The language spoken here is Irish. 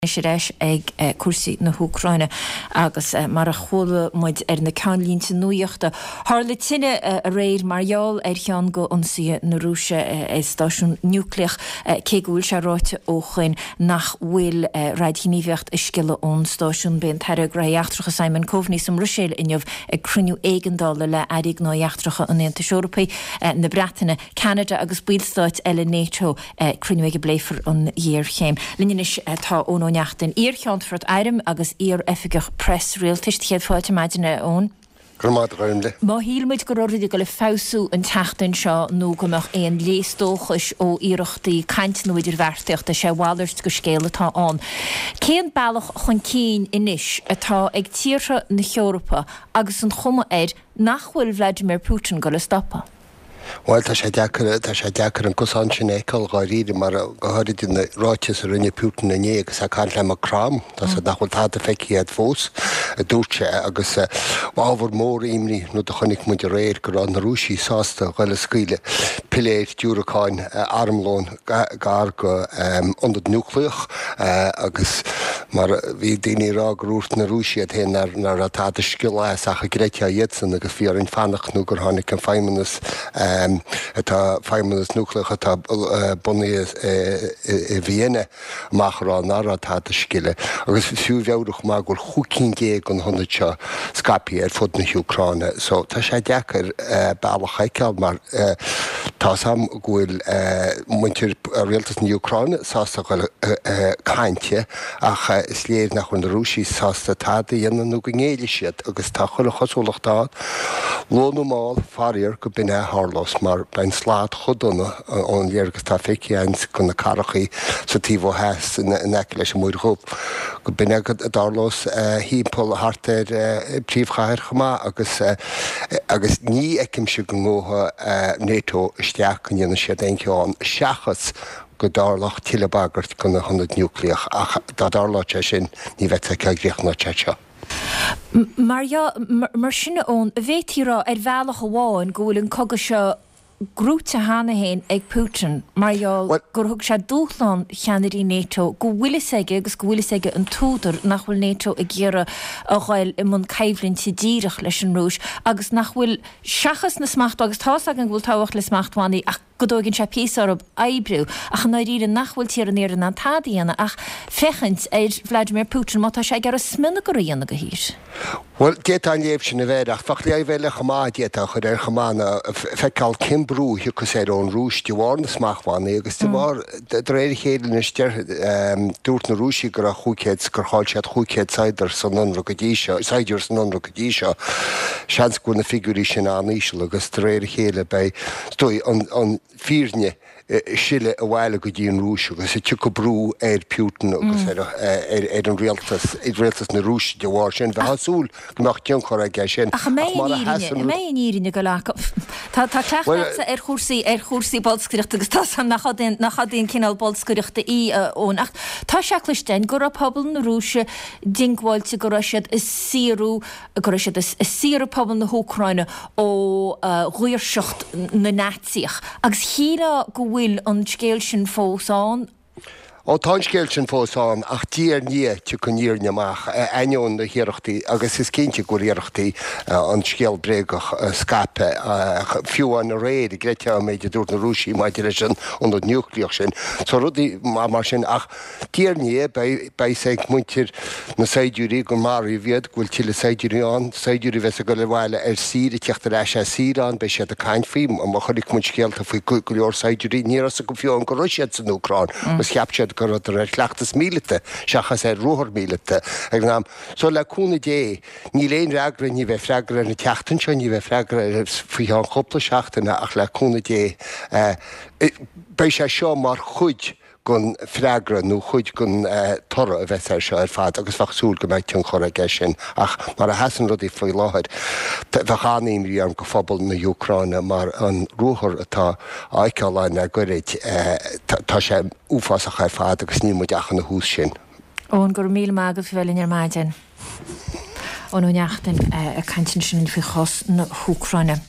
Anois ar ais ag cúrsaí na hÚcráine agus mar a chuala muid ar na ceannlínte nuachta, tharla tine aréir mar gheall ar cheann de ionsaithe na Rúise ar stáisiún núicléach, cé go bhfuil sé ráite ó shoin nach bhfuil raidghníomhaíocht ag sciolladh ón stáisiún. Beidh an tAire Gnóthaí Eachtracha Simon Coveney sa mBruiséil inniu ag cruinniú éigeandála le Airí Gnóthaí Eachtracha an Aontais Eorpaigh, na Breataine, Ceanada agus ballstáit eile NATO. Cruinniú ag a bpléifear an ghéarchéim. Linn anois tá Eoin Ó Neachtain, iar-Cheannfort Airm agus iar-Oifigeach Preas Rialtais. Céad fáilte ar maidin, a Eoin. Go raibh maith agat, a Ghormfhlaith. Má shíl muid go raibh rudaí ag dul ag feabhsú an tseachtain seo nó go mbeadh aon léas dóchais ó iarrachtaí cainte nó idirbheartaíochta, is é a mhalairt de scéal atá ann. Cén bealach chun cinn anois atá ag tíortha na hEorpa agus an chuma air nach bhfuil Vladimir Putin ag dul a stopadh? Bhuel, tá sé deacair, tá sé deacair an cosán sin a fheiceáil dháiríre mar, go háirid na ráitis a rinne Putin inné agus é ag caint le Macron, tá 's agat nach bhfuil tada feicthe agat fós, a dúirt sé, agus ábhar mór imní an rud a chonaic muid aréir, go raibh na Rúisigh sásta dhul ag scaoileadh piléir, diúracáin, armlón gar go ionad núicléach agus mar bhí daoine ag rá gur dhúirt na Rúisigh iad féin nach raibh tada ag sciolladh as ach an gcreidfeá iadsan agus bhí orainn fanacht nó gur tháinig an feidhmeannas atá, feidhmeannas núicléach atá bunaithe i Vienna amach a rá nach raibh tada ag sciolladh agus is fiú a mheabhrú chomh maith go bhfuil 15 cinn de na hionaid seo scaipthe ar fud na hÚcráine so tá sé deacair bealach a fheiceáil mar tá's a'm go bhfuil muintir rialtas na hÚcráine sásta dhul ag caint ach is léir nach bhfuil na Rúisigh sásta tada a dhéanamh nó go ngéillfidh siad agus tá chuile chosúlacht ann, luath nó mall, faraor, go b'in é a tharlós mar beidh an slad chomh dona ón léargas atá feicthe againn de na cathrachaí sa taobh ó theas in aice leis an Muir Dhubh, go b'in é a dtarlós thimpeall thart ar an bpríomhchathair chomh maith agus agus ní fheicimse go ngabhfaidh NATO isteach go ndéanfaidh siad aon cheo ann seachas go dtarlódh tuilleadh bagairt do na hionaid núicléach ach dá dtarlódh sé sin ní bheadh sé cá gcríochnódh sé seo. Mar mar sin a Eoin, an bhféadfaí a rá ar bhealach amháin go bhfuil an cogadh seo gnóite cheana féin ag Putin mar gheall gur thug sé dúshlán cheannairí NATO, go bhfuil fhios aige agus go bhfuil fhios aige an t-údar nach bhfuil NATO ag iarraidh a ghoil i mbun coimhlinte díreach leis an Rúis agus nach bhfuil, seachas na smachtbhannaí, agus tá's againn go bhfuil tábhacht le smachtbhannaí ach go dtóigeann sé píosa orthu oibriú ach i ndáiríre nach bhfuil tíortha an Iarthair in ann tada a dhéanamh ach féachaint ar Vladimir Putin má tá sé ag iarraidh smionagar a dhéanamh de thír. Bhuel, d'fhéadfá an léamh sin a bheith air, ach bheadh léamh eile chomh maith a d'fhéadfá a chur air chomh maith ná feiceáil cén brú a thiocfas air ón Rúis de bharr na smachtbhannaí agus de bharr, de réir a chéile anois, deir, dúirt na Rúisigh go raibh 500, gur chaill siad 500 saighdiúir san ionradh go dtí seo, saighdiúir san ionradh go dtí seo. Seans go bhfuil na figiúirí sin an-íseal agus de réir a chéile beidh, is dóigh, an, an fhírinne ag sileadh abhaile go dtí an Rúis agus tiocfaidh brú ar Putin agus ar an rialtas, rialtas na Rúise de bharr sin. Bheifeá ag súil go mbeadh tionchar aige sin. Ach an mbeidh an fhírinne, an mbeidh an fhírinne ag dul acu? Tá tá cleachtadh agatsa ar chúrsaí, ar chúrsaí bolscaireachta agus tá 's agam nach aon, nach aon cineál bolscaireachta í, a Eoin, ach tá sé cloiste againn go raibh pobal na Rúise diongbháilte go raibh siad ag saorú, go raibh siad ag saoradh pobal na hÚcráine ó dhaoirseacht na Naitsíoch. Agus shílfeá go bhfuil an scéal sin fós ann. Ó, tá an scéal sin fós ann, ach diaidh ar ndiaidh tiocfaidh an fhírinne amach, ainneoin na hiarrachtaí, agus is cinnte go bhfuil iarrachtaí an scéal bréagach a scaipeadh, fiú amháin aréir, an gcreidfeá an méid a dúirt na Rúisigh maidir leis an ionad núicléach sin. So rudaí mar sin, ach. Diaidh ar ndiaidh, beidh fhios ag muintir na saighdiúirí gur maraíodh iad, go bhfuil tuilleadh saighdiúirí ann, saighdiúirí a bheas ag dul abhaile ar saoire, ag teacht ar ais as saoire ann, beidh siad ag caint faoi, mar chonaic muid scéalta faoi go leor saighdiúirí, ní raibh fhios acu fiú amháin go raibh siad san Úcráin agus cheap siad go rabhadar ar chleachtas míleata seachas ar ruathar míleata ag an am. So le cúnamh Dé, níl aon fhreagra, ní bheidh freagra ar an tseachtain seo, ní bheidh freagra air faoi cheann cúpla seachtaine ach le cúnamh Dé, beidh sé seo mar chuid den freagra nó chuid den toradh a bheas air seo ar fad agus bheadh súil go mbeidh tionchar aige sin ach mar a sheasann rudaí faoi láthair bheadh an-imní orm go phobal na hÚcráine mar an ruathar atá á fheiceáil ann le goirid tá sé uafásach ar fad agus níl muid ach ina thús sin. Eoin, go raibh míle maith agat a bheith linn ar maidin. Eoin Ó Neachtain ag caint ansin faoi chás na hÚcráine.